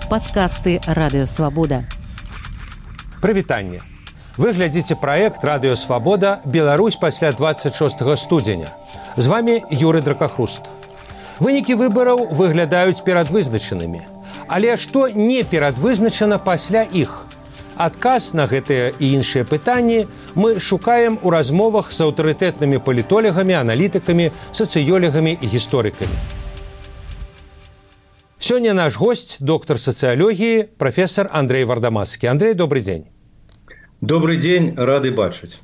Падкасты радыёвабода. Прывітанне. Вы глядзіце праект «Радыёвабода. Беларусь пасля 26 студзеня». З вами Юрый Дракахруст. Вынікі выбараў выглядаюць перадвызначанымі. Але што не перадвызначана пасля іх? Адказ на гэтыя і іншыя пытанні мы шукаем у размовах з аўтарытэтнымі палітолагамі, аналітыкамі, сацыёлагамі і гісторыкамі. Сёння наш гость, доктор сацыялогіі, прафесор Андрей Вардамацкі. Андрей, добрый дзень. Добрый дзень, рады бачыць.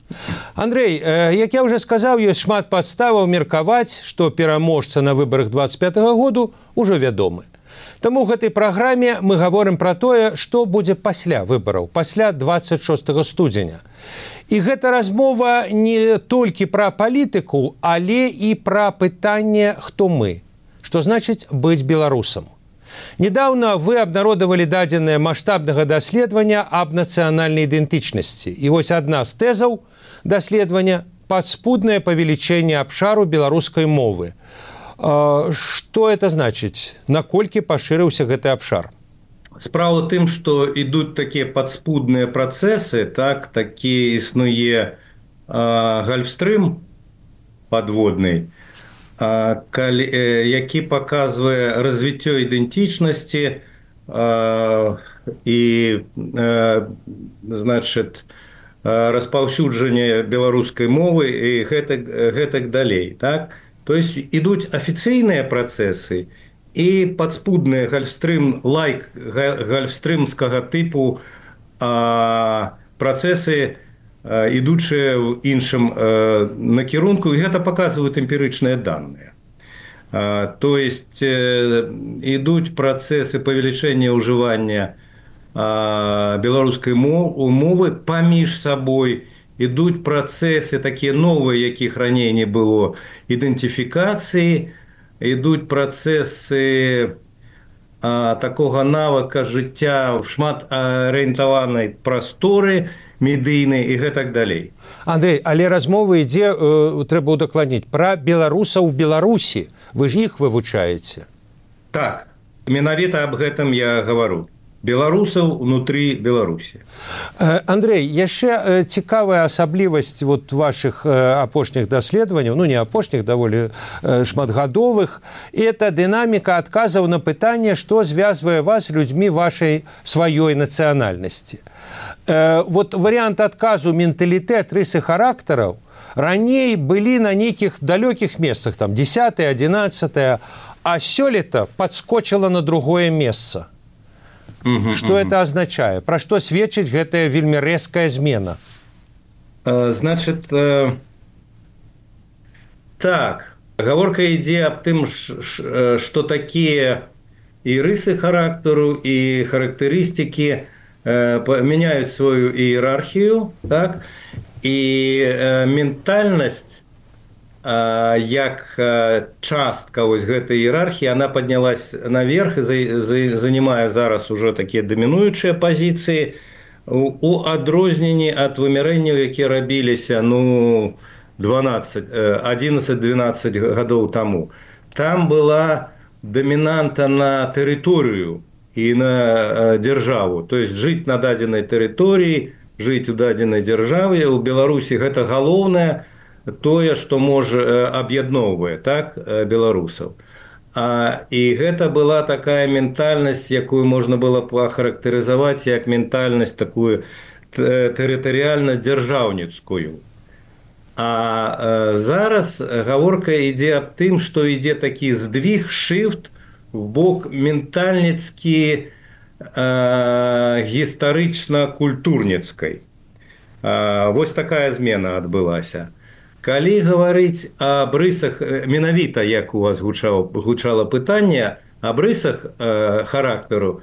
Андрей, як я ўжо сказаў, ёсць шмат падставаў меркаваць, што пераможца на выбарах 25-го году ўжо вядомы. Таму ў гэтай праграме мы гаворым пра тое, што будзе пасля выбараў, пасля 26 студзеня. І гэта размова не толькі пра палітыку, але і пра пытанне «Хто мы?», што значыць быць беларусам. Недавно вы абнародавалі дадзеныя маштабнага даследавання аб нацыянальнай ідэнтычнасці. І вось адна з тэзаў даследавання – падспуднае павелічэнне абшару беларускай мовы. Што это значыць? Наколькі пашырыўся гэты абшар? Справа ў тым, што ідуць такія падспудныя працэсы, такі існуе гальфстрым падводны, які паказвае развіццё ідэнтычнасці і распаўсюджанне беларускай мовы і гэтак далей. То есть ідуць афіцыйныя працэсы і падспудныя гальфстрымскага тыпу працэсы, ідучыя ў іншым накірунку, і гэта паказваюць эмпірычныя даныя. То есть ідуць працэсы павелічэння ўжывання беларускай мовы паміж сабой, ідуць працэсы такія новыя, якіх раней не было, ідэнтыфікацыі, ідуць працэсы такога навыка жыцця в шматарыентаванай прасторы, медыйнай і гэтак далей. Андрей, але размова ідзе, трэба удакладніць, пра беларусаў у Беларусі. Вы ж іх вывучаеце. Так, менавіта аб гэтым я гавару. Беларусаў унутры Беларусі. Андрей, яшчэ цікавая асаблівасць вашых апошніх даследаванняў, не апошніх, даволі шматгадовых, это дынаміка адказаў на пытанне, што звязвае вас з людзьмі вашай сваёй нацыянальнасці. Варыянт адказу менталітэт, рысы характараў раней былі на нейкіх далёкіх месцах, 10-е, 11-е, а сёлета падскочыла на другое месца. Што это азначае? Пра што сведчыць гэтая вельмі рэзкая змена? Значыць, так, гаворка ідзе аб тым, што такія і рысы характару, і характарыстыкі мяняюць сваю іерархію, і ментальнасць, як частка гэтай іерархіі, она паднялась наверх і занимае зараз уже такія дамінуючыя пазіцыі у адрозненні ад вымярэнняў, якія рабіліся 11-12 гадоў таму. Там была дамінанта на тэрыторыю і на дзяржаву, то есть жыць на дадзенай тэрыторыі, жыць у дадзенай дзяржаве. У Беларусі гэта галоўнае, тое, што можа аб'ядноўвае беларусаў. І гэта была такая ментальнасць, якую можна было пахарактарызаваць як ментальнасць такую тэрытарыяльна-дзяржаўніцкую. А зараз гаворка ідзе аб тым, што ідзе такі здвиг, шыфт в бок ментальніцкі гістарычна-культурніцкай. Вось такая змена адбылася. Калі гаварыць аб рысах, менавіта, як у вас гучала пытанне, аб рысах характару,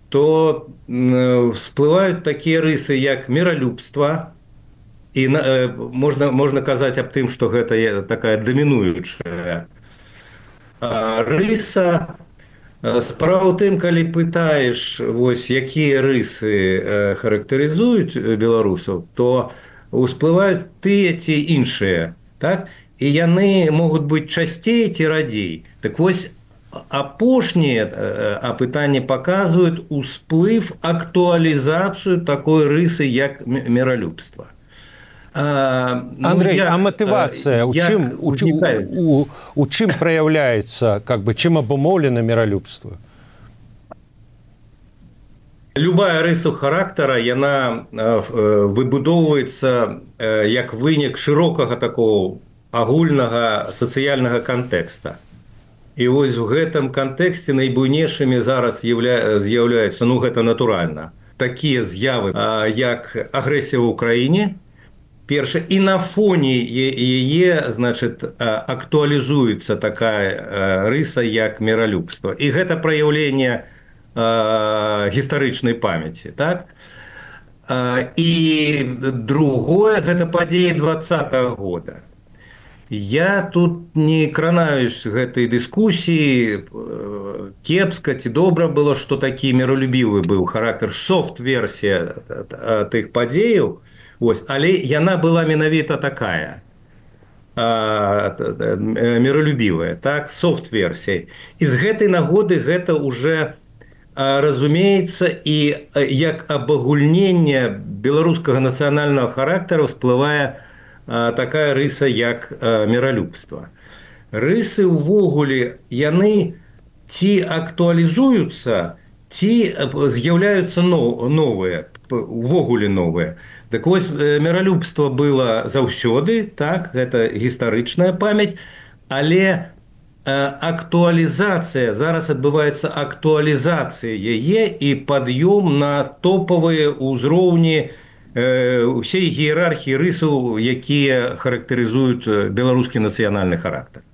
то всплываюць такія рысы, як міралюбства, і можна казаць аб тым, што гэта такая дамінуючая рыса. Справа ў тым, калі пытаеш, якія рысы характарызуюць беларусаў, то усплываюць тыя ці іншыя, і яны могуць быць часцей ці радзей. Так вось, апошнія апытанні паказваюць усплыв, актуалізацыю такой рысы, як міралюбства. Андрей, а мотивация у чым проявляется, чым абумоўлена міралюбства? Любая рыса характара, яна выбудоўваецца як вынік шырокага такого агульнага сацыяльнага кантэкста. І вось у гэтым кантэксце найбуйнейшымі зараз з'яўляюцца, гэта натуральна, такія з'явы, як агрэсія ў Украіне, перша, і на фоне яе, актуалізуецца такая рыса, як міралюбства. І гэта праяўленне гістарычнай памяці, так? І другое, гэта падзеі 20-го года. Я тут не кранаюсь гэтай дыскусіі, кепска ці добра было, што такі міралюбівы быў характар, софт-версія тых падзеяў, але яна была менавіта такая, міралюбівая, так, софт-версія. І з гэтай нагоды гэта ўжо разумеецца і як абагульненне беларускага нацыянальнага характару всплывае такая рыса, як міралюбства. Рысы ўвогуле, яны ці актуалізуюцца, ці з'яўляюцца новыя, увогуле новыя. Так вось, міралюбства было заўсёды, так, гэта гістарычная памяць, але актуалізацыя, зараз адбываецца актуалізацыя яе і пад'ём на топавыя ўзроўні усей іерархіі рысаў, якія характарызуюць беларускі нацыянальны характар.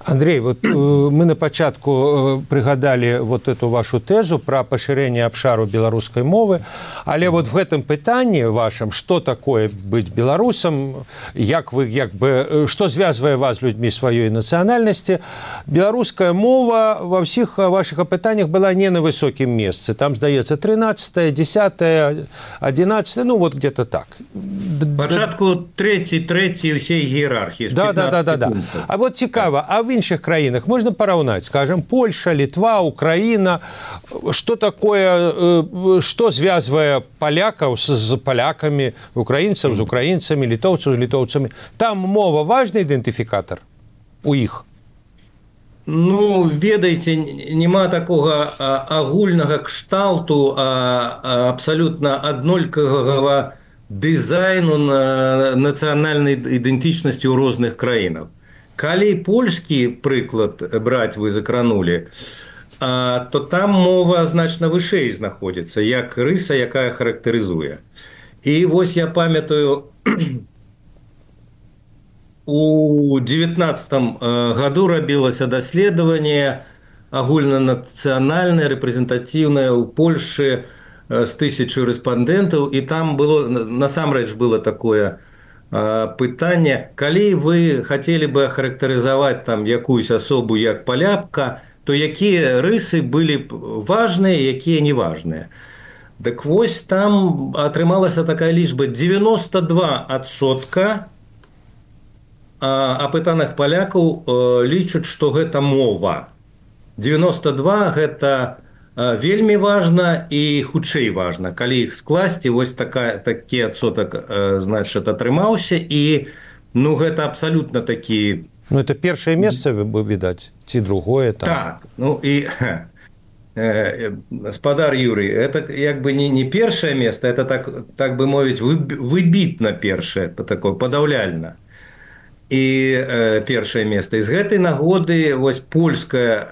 Андрей, мы на пачатку прыгадалі эту вашу тэзу пра пашырэнне абшару беларускай мовы, але в гэтым пытанні вашым, што такое быць беларусам, што звязвае вас з людзьмі сваёй нацыянальнасці, беларуская мова ва ўсіх вашых апытаннях была не на высокім месцы. Там, здаецца, 13, 10, 11, где-то так. Пачатку трэці ўсей іерархіі. Да. А цікава, а в іншых краінах можна параўнаць, скажем, Польша, Літва, Украіна, што такое, што звязвае палякаў з палякамі, украінцаў з украінцамі, літоўцаў з літоўцамі? Там мова важны ідэнтыфікатар у іх? Ведаеце, няма такога агульнага кшталту, абсалютна аднолькавага дызайну нацыянальнай ідэнтычнасці ў розных краінах. Калі польскі прыклад браць вы закранулі, то там мова значна вышэй знаходзіцца, як рыса, якая характарызуе. І вось я памятаю, у 19-м году рабілася даследаванне агульнанацыянальнае, рэпрэзентатыўнае ў Польшы з 1000 рэспандэнтаў, і там было, насамрэч было такое пытанне, калі вы хацелі бы ахарактарызаваць якуюсь асобу як палякка, то якія рысы былі б важныя, якія не важныя. Так вось там атрымалася такая лічба: 92% апытаных палякаў лічаць, што гэта мова. 92% гэта вельмі важна і хутчэй важна. Калі іх скласці, вось такі адсотак, атрымаўся, і гэта абсалютна такі... Это першае месца, відаць, ці другое? Так, і спадар Юрый, это не першае месца, это, так бы мовіць, выбітна першае, такое падаўляльна. І першае месца. І з гэтай нагоды вось польская,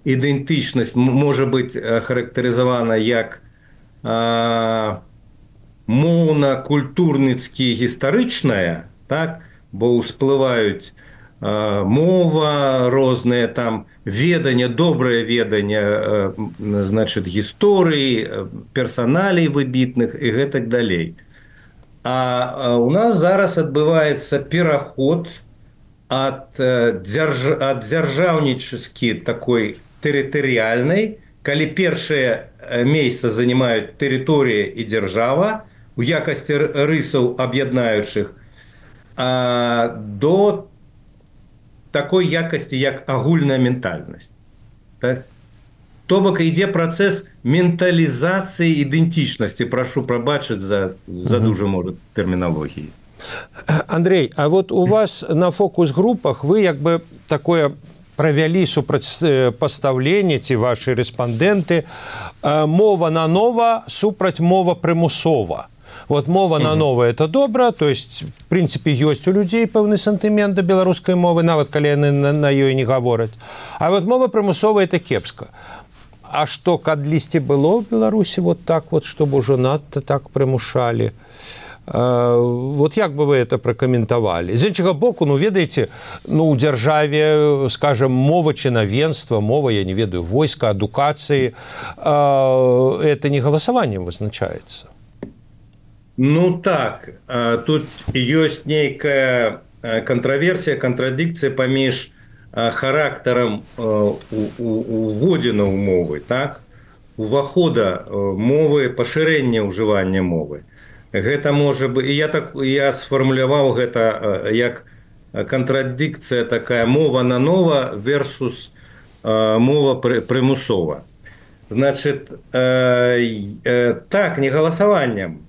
ідэнтычнасць можа быць характарызавана як моўна-культурніцкі-гістарычная, так? Бо ўсплываюць мова розныя, там веданне, добрае веданне, гісторыі, персаналей выбітных і гэтак далей. А у нас зараз адбываецца пераход ад дзяржаўнічаскі такой тэрытарыяльнай, калі першае месца занимаюць тэрыторыя і дзяржава у якасці рысаў аб'яднаючых, до такой якасці, як агульная ментальнасць. Так? То бок ідзе працэс менталізацыі ідэнтычнасці. Прашу прабачыць за дуже, можа, тэрміналогіі. Андрей, а вот у вас на фокус-групах вы як бы такое правялі супрацьпастаўленне, ці ваши рэспандэнты, мова на нова супраць мова прымусова. Вот мова на нова – это добра, то есть, в принципе, ёсць у людзей пэўны сантымент да беларускай мовы, нават калі яны на ёй не гавораць. А вот мова прымусова – это кепска. А што, кадлісьці было ў Беларусі вот так вот, чтобы ўжо надта так прымушалі? Вот як бы вы это пракаментавалі? З іншага боку, ну, ведаеце, ну, у дзяржаве, скажем, мова чынавенства, мова, я не ведаю, войска, адукацыі, это не галасаваннем вызначаецца. Ну так, тут ёсць нейкая контраверсія, контрадикция паміж характарам уводзіна ў мовы, так? Увахода мовы, пашырэння ўжывання мовы. Гэта можа быць, я сфармуляваў гэта як контрадикция такая мова на нова versus мова прымусова. Значит, так, не галасаваннем,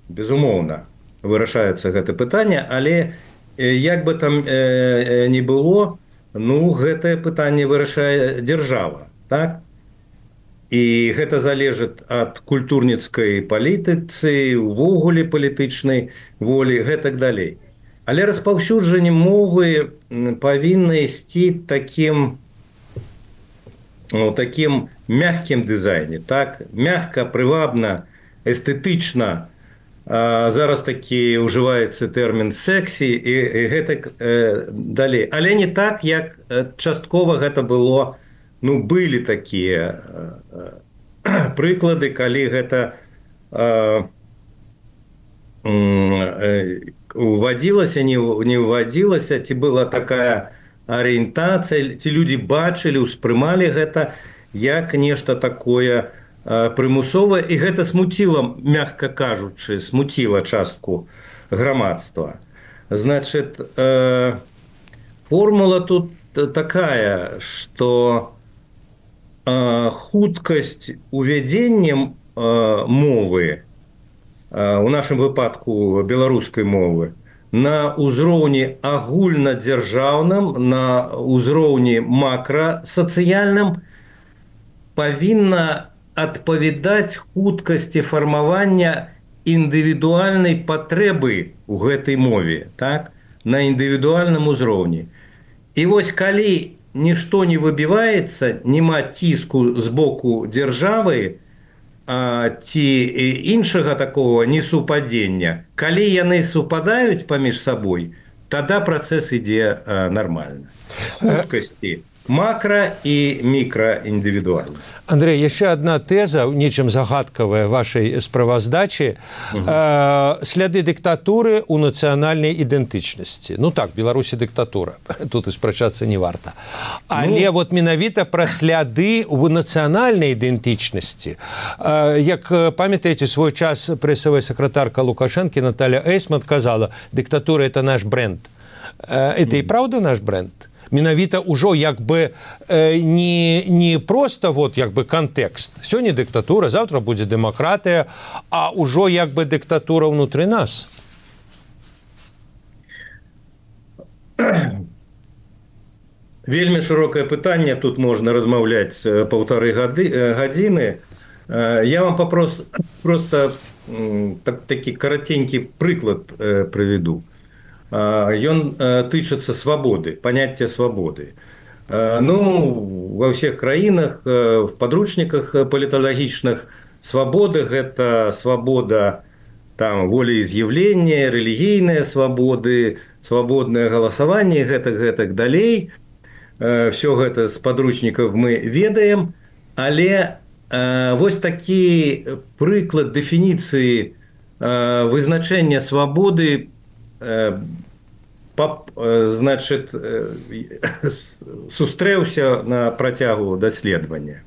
безумоўна, вырашаецца гэта пытанне, але як бы там не было, ну, гэтае пытанне вырашае дзяржава, так? І гэта залежыць ад культурніцкай палітыцы, увогуле палітычнай волі, гэтак далей. Але распаўсюджанне мовы павінна ісці такім мягкім дызайне, так? Мягка, прывабна, эстэтычна. Зараз такі ўжываецца тэрмін «сексі» і гэтак далей. Але не так, як часткова гэта было, ну, былі такія прыклады, калі гэта увадзілася, не ўвадзілася, ці была такая арыентацыя, ці людзі бачылі, успрымалі гэта як нешта такое прымусовае, і гэта смуціла, мякка кажучы, смуціла частку грамадства. Значит, формула тут такая, што хуткасць увядзення мовы, у нашым выпадку беларускай мовы, на ўзроўні агульнадзяржаўным, на ўзроўні макрасацыяльным павінна адпавядаць хуткасці фармавання індывідуальнай патрэбы ў гэтай мове, так? На індывідуальным узроўні. І вось калі нішто не выбіваецца, няма ціску з боку дзяржавы ці іншага такого несупадзення, калі яны супадаюць паміж сабой, тада працэс ідзе нармальна. Хуткасці макро і мікраіндывідуальна. Андрей, яшчэ одна тэза, нечым загадкавая вашай справаздачы. Сляды дыктатуры ў нацыянальнай ідэнтычнасці. Ну так, Беларусі дыктатура. Тут і спрачацца не варта. Але вот менавіта пра сляды ў нацыянальнай ідэнтычнасці. Як памятаеце, свой час прэсавая сакратарка Лукашэнкі Наталья Эйсман казала, дыктатура – это наш бренд. Это і праўда наш бренд? Менавіта ўжо як бы не просто вот як бы кантэкст. Сёння дыктатура, завтра будзе дэмакратыя, а ўжо як бы дыктатура ўнутры нас. Вельмі шырокае пытанне, тут можна размаўляць 1,5 гадзіны. Я вам просто такі караценькі прыклад прыведу. Ён тычыцца свабоды, паняцця свабоды. Ну, ва ўсіх краінах, в падручніках паліталагічных свабоды – гэта свабода там, волеіз'яўлення, рэлігійныя свабоды, свабоднае галасаванне, гэтак далей. Всё гэта з падручнікаў мы ведаем, але вось такі прыклад дэфініцыі вызначэння свабоды значит, сустрэўся на працягу даследавання.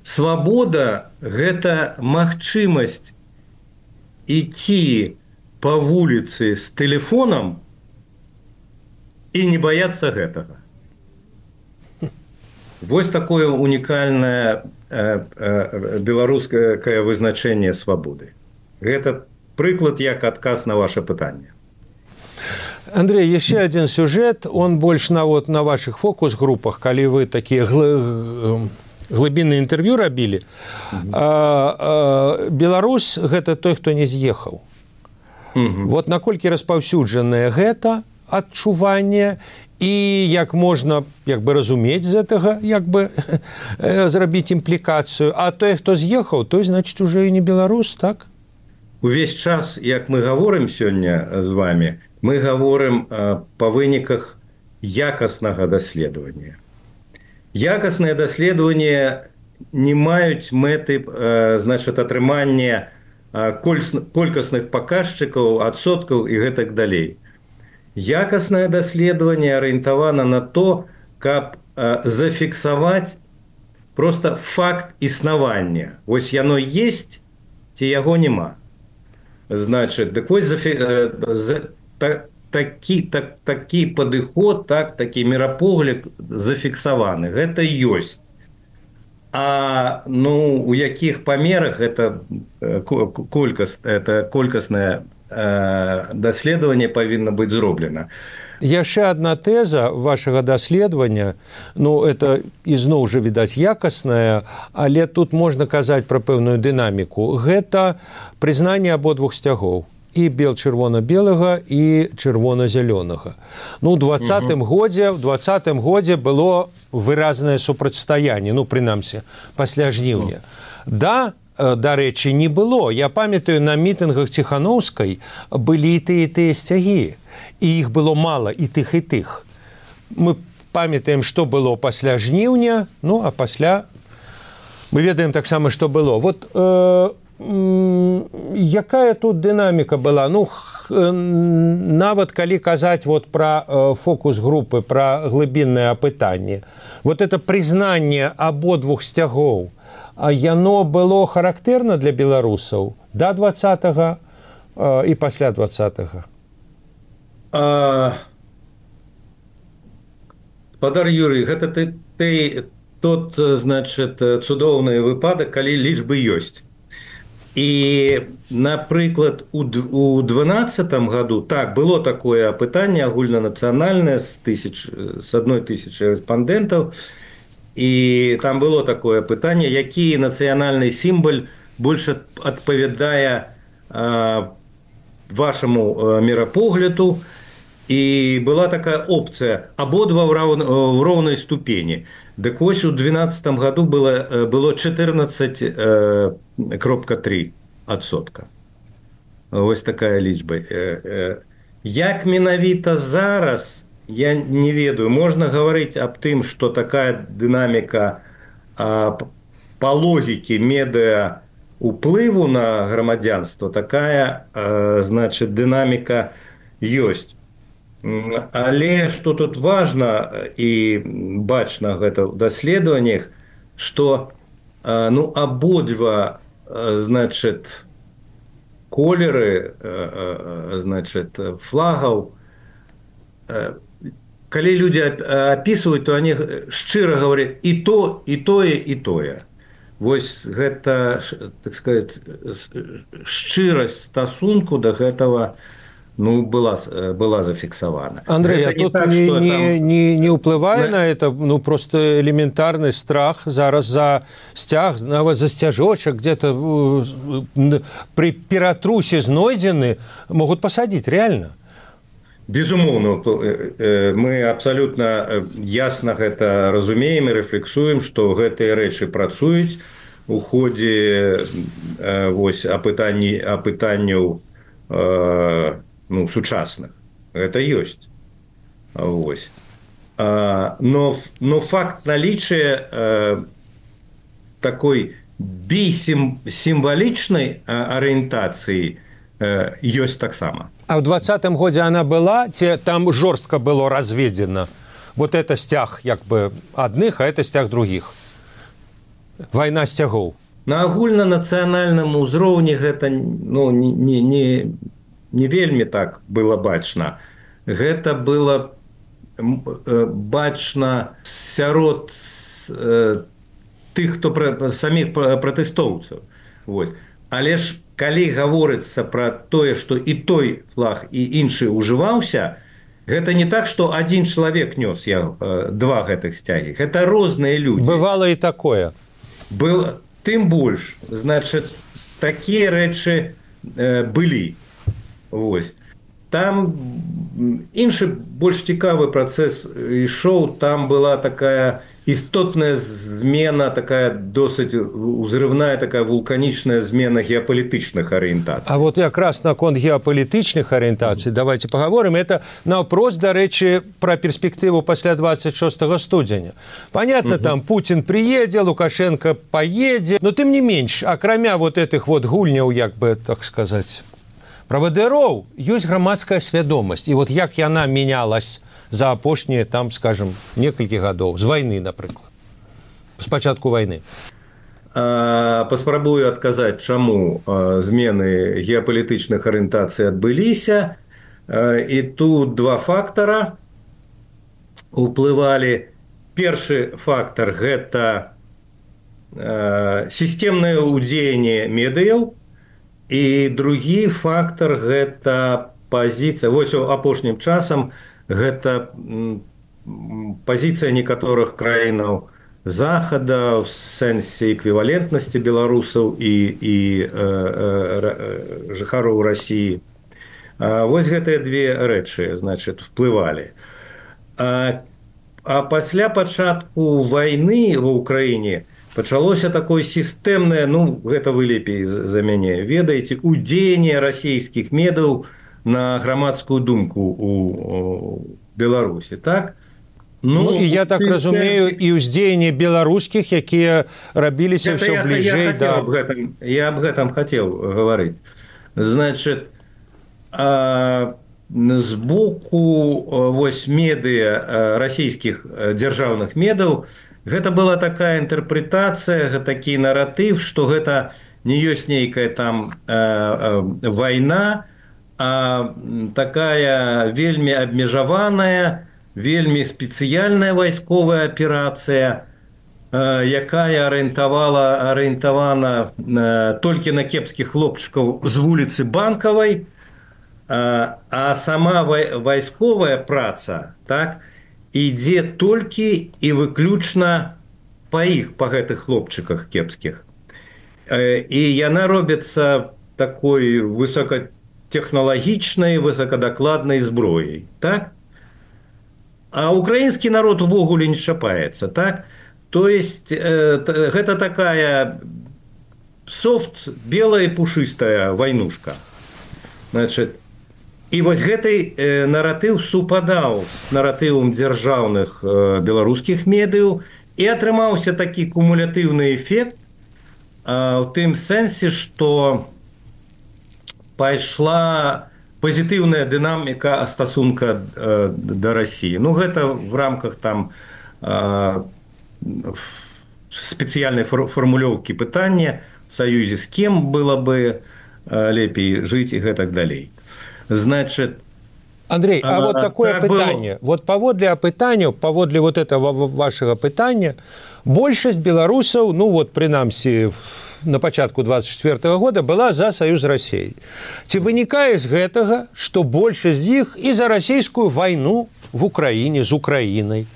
Свабода – гэта магчымасць ісці па вуліцы з тэлефонам і не баяцца гэтага. Вось такое унікальнае беларускае вызначэнне свабоды. Гэта прыклад як адказ на ваше пытанне. Андрей, еще один сюжет, он больше на ваших фокус-группах, калі вы такие глыбінныя інтэрв'ю рабілі. Беларусь – гэта той, хто не з'ехаў. Вот наколькі распаўсюджанае гэта адчуванне і як можна разумець з гэтага, зрабіць імплікацыю. А той, хто з'ехаў, той, значыць, уже і не беларус, так? Увесь час, як мы гаворым сёння з вами, мы гаворым па выніках якаснага даследавання. Якасныя даследаванні не маюць мэты, атрымання колькасных паказчыкаў, адсоткаў і гэтак далей. Якаснае даследаванне арыентавана на то, каб зафіксаваць проста факт існавання. Вось яно есть, ці яго няма. Значыць, дык вось такі падыход, такі мірапогляд зафіксаваны. Гэта ёсць. А у якіх памерах гэта колькаснае даследаванне павінна быць зроблена. Яшчэ адна тэза вашага даследавання, это ізноў жа, відаць, якасная, але тут можна казаць пра пэўную дынаміку. Гэта прызнанне абодвух сцягоў. І бел-чырвона-белага, і чырвона-зялёнага. У 20-м годзе было выразнае супрацьстаянне, прынамсі, пасля жніўня. Дарэчы, не было. Я памятаю, на мітынгах Ціханаўскай былі і тыя сцягі. І іх было мала, і тых, і тых. Мы памятаем, што было пасля жніўня, а пасля мы ведаем таксама, што было. Вот якая тут дынаміка была? Нават калі казаць пра фокус-групы, пра глыбіннае апытанне, это прызнанне абодвух сцягоў, яно было характэрна для беларусаў да 20-го і пасля 20-го? Спадар Юрый, гэта тот, цудоўны выпадак, калі лічбы ёсць. І, напрыклад, у 2012 году, было такое апытанне агульнанацыянальнае з 1000 рэспандэнтаў, і там было такое пытанне, які нацыянальны сімвал больш адпавядае вашаму мірапогляду, і была такая опцыя абодва ў роўнай ступені. Дык вось у 2012 году было 14,3%. Вось такая лічба. Як менавіта зараз, я не ведаю. Можна гаварыць аб тым, што такая дынаміка па логікі медыа уплыву на грамадзянства, такая, дынаміка ёсць. Але што тут важна і бачна гэта ў даследаваннях, што абодва колеры флагаў, калі людзі апісваюць, то они шчыра гавараць і то, і тое, і тое. Вось гэта, так сказаць, шчырасць стасунку да гэтага была зафіксавана. Андрей, а тут не ўплывае на это просто элементарны страх зараз за сцяг, нават за сцяжочак, где-то при ператрусе знойдзены, могуць пасадзіць, реально? Безумоўна, мы абсалютна ясна гэта разумеем і рэфлексуем, што гэтыя рэчы працуюць у ходзе апытанняў сучасных. Это ёсць. Но факт наличия такой бісімвалічнай арыентацыі ёсць таксама. А ў 20-м годзе она была, ці там жорстка было разведзена? Вот это сцяг адных, а это сцяг других. Вайна сцягоў. На агульнанацыянальным узроўні гэта не вельмі так было бачна. Гэта было бачна сярод тых, хто саміх пратэстоўцаў. Вось. Але ж калі гаворыцца пра тое, што і той флаг, і іншы ўжываўся, гэта не так, што адзін чалавек нёс два гэтых сцягі. Гэта розныя людзі. Бывала і такое. Тым больш, значыць, такія рэчы былі. Вось. Там іншы больш цікавы працэс ішоў, там была такая істотная змена, такая досыць узрывная, такая вулканічная змена геапалітычных арыентацый. А вот якраз наконт геапалітычных арыентацый давайте паговорым. Это наўпрост, дарэчы, пра перспектыву пасля 26 студзеня. Понятно, там Путин приедзе, Лукашенко поедзе, но тым не менш, акрамя вот этих вот гульняў, як бы, так сказаць, правадыроў, ёсць грамадская свядомасць. І вот як яна менялась за апошнія, там, скажем, некалькі гадоў, з вайны, напрыклад, з пачатку вайны. Паспрабую адказаць, чаму змены геапалітычных арыентацый адбыліся. І тут два фактара уплывалі. Першы фактар – гэта сістэмнае ўдзеянне медыяў, і другі фактар – гэта пазіцыя. Вось апошнім часам гэта пазіцыя некаторых краінаў Захада ў сэнсе эквівалентнасці беларусаў і жыхароў Расіі. Вось гэтыя две рэчы, значыць, уплывалі. А пасля пачатку вайны ва ўкраіне пачалося такое сістэмнае, ну, гэта вы лепей за мяне ведаеце, ўдзеянне расійскіх медыяў на грамадскую думку у Беларусі, так? Ну і я так разумею, і ўздзеянне беларускіх, якія рабіліся ўсё бліжэй да... Я аб гэтым хацеў гаварыць. Значыць, з боку вось медыа, расійскіх дзяржаўных медыяў, гэта была такая інтэрпрэтацыя, такі наратыў, што гэта не ёсць нейкая там вайна, а такая вельмі абмежаваная, вельмі спецыяльная вайсковая аперацыя, якая арыентавана толькі на кепскіх хлопчыкаў з вуліцы Банкавай, а сама вайсковая праца, так, ідзе толькі і выключна па гэтых хлопчыках кепскіх. І яна робіцца такой высокатэхналагічнай, высокадакладнай зброяй, так? А украінскі народ увогуле не чапаецца, так? То есть гэта такая софт, белая і пушыстая вайнушка. Значит, і вось гэты наратыў супадаў з наратывам дзяржаўных беларускіх медыяў, і атрымаўся такі кумулятыўны эфект у тым сэнсе, што пайшла пазітыўная дынаміка стасунка да Расіі. Ну, гэта в рамках там спецыяльнай фармулёўкі пытання в саюзе з кем было бы лепей жыць і гэтак далей. Значит, Андрей, а вот такое пытанне. Вот паводле апытання, паводле вот этого вашего пытання, большасць беларусаў, ну вот прынамсі на пачатку 24 года была за саюз Расіі. Ці вынікае з гэтага, што большасць з іх і за расійскую вайну в Украіне з Украінай?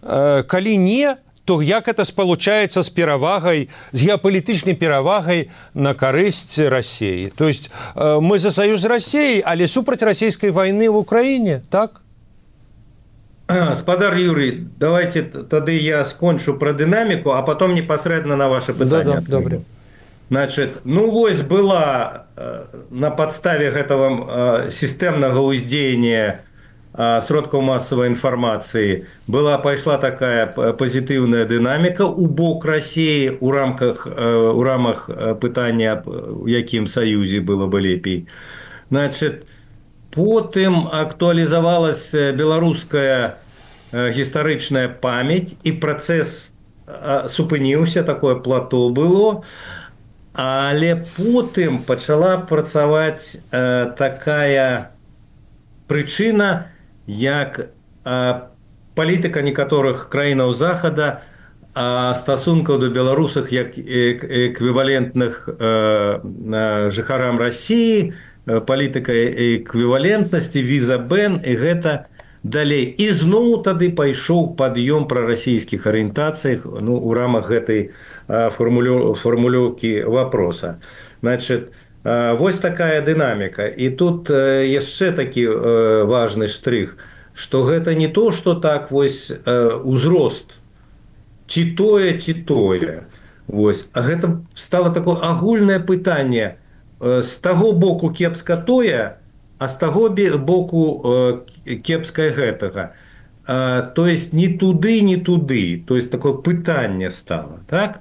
Калі не, то як это спалучаецца з перавагай, з геапалітычнай перавагай на карысць Расіі? То есть мы за саюз Расіі, але супраць расійскай вайны в Украіне, так? Спадар Юрий, давайте тады я скончу про динамику, а потом непосредственно на ваше пытание. Да, добре. Значит, ну вось была на подставе гэтага системного уздзеяння сродкаў массовой информации пайшла такая позитивная динамика у бок России у рамах пытання, у якім саюзе было бы лепей. Значит, потым актуалізавалася беларуская гістарычная памяць, і працэс супыніўся, такое плато было, але потым пачала працаваць такая прычына, як палітыка некаторых краінаў захада стасункаў да беларусаў як эквівалентных жыхарам Расіі, палітыка эквівалентнасці, віза-бэн, і гэта далей. І зноў тады пайшоў пад'ём прарасійскіх арыентацыях у рамах гэтай фармулёўкі вопроса. Значит, вось такая дынаміка. І тут яшчэ такі важны штрых, што гэта не то, што так вось узрост, ці тое. Вось. А гэта стало такое агульнае пытанне. З таго боку кепска тое, а з таго боку кепскае гэтага. То есть не туды. То есть такое пытанне стало. Так?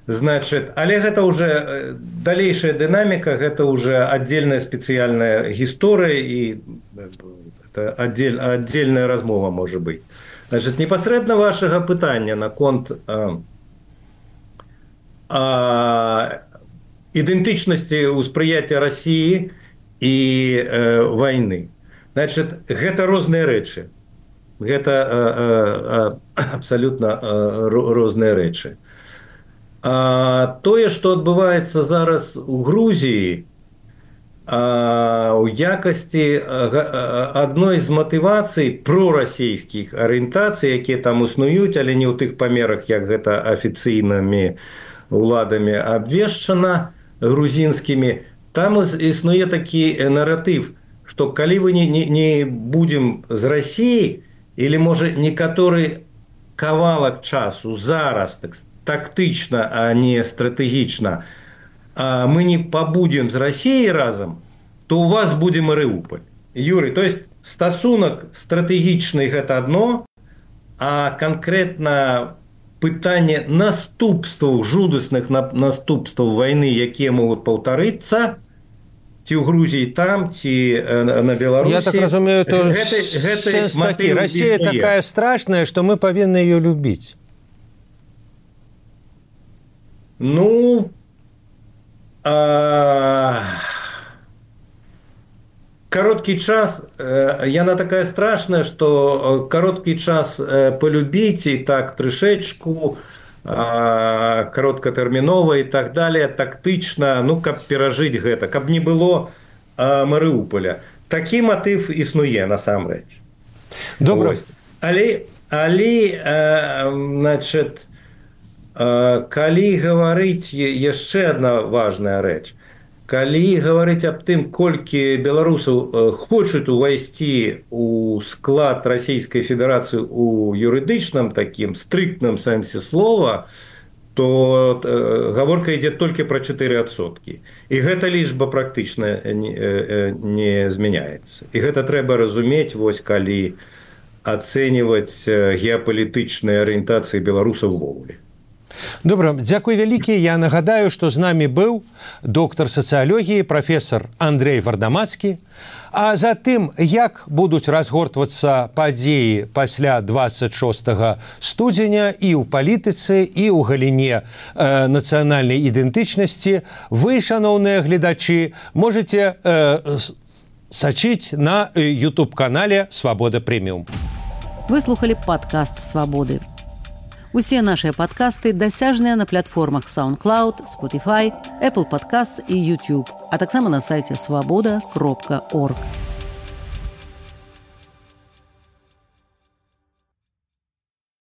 Значит, але гэта уже далейшая дынаміка, гэта уже отдельная спецыяльная гісторыя і отдельная размова можа быць. Значит, непасрэдна вашага пытання наконт ідэнтычнасці ўспрыяцця Расіі і вайны. Значит, гэта розныя рэчы. Гэта абсалютна розныя рэчы. Тое, што адбываецца зараз у Грузіі, у якасці адной з матывацый прорасійскіх арыентацый, якія там існуюць, але не ў тых памерах, як гэта афіцыйнымі уладамі абвешчана грузінскімі, там існуе такі наратыв, што калі вы не будзем з Расіі, или, можа, некаторы кавалак часу зараз тактычна, а не стратэгічна, мы не побудем з Россией разом, то у вас будзе Марыуполь. Юрий, то есть стасунак стратэгічны гэта одно, а конкретно пытанне наступстваў, жудасных наступстваў войны, якія могуць паўтарыцца, ці ў Грузіі там, ці на Беларусі. Я так разумею, то сэнс такі. Россия такая страшная, что мы павінны ее любіць. Ну, короткий час, яна такая страшная, что короткий час полюбить и так трышечку, кароткатэрмінова и так далее, тактычна, ну, каб перажыць гэта, каб не было Марыуполя. Такі матыв існуе насамрэч. Добра. Але, значит, калі гаварыць яшчэ одна важная рэч, калі гаварыць аб тым, колькі беларусаў хочуць увайсці у склад Расійскай Федэрацыі у юрыдычным такім стрыктным сэнсе слова, то гаворка ідзе толькі пра 4%. І гэта лічба практычна не змяняецца. І гэта трэба разумець, вось калі ацэньваць геапалітычныя арыентацыі беларусаў увогуле. Добра, дзякуй вялікі. Я нагадаю, што з намі быў доктар сацыялогіі, прафесор Андрэй Вардамацкі. А затым, як будуць разгортвацца падзеі пасля 26 студзеня і ў палітыцы, і ў галіне нацыянальнай ідэнтычнасці, вы, шаноўныя гледачы, можаце сачыць на YouTube-канале «Свабода Прэміум». Вы слухали падкаст «Свабоды». Усе нашыя падкасты дасяжныя на платформах SoundCloud, Spotify, Apple Podcasts і YouTube, а таксама на сайце swaboda.org.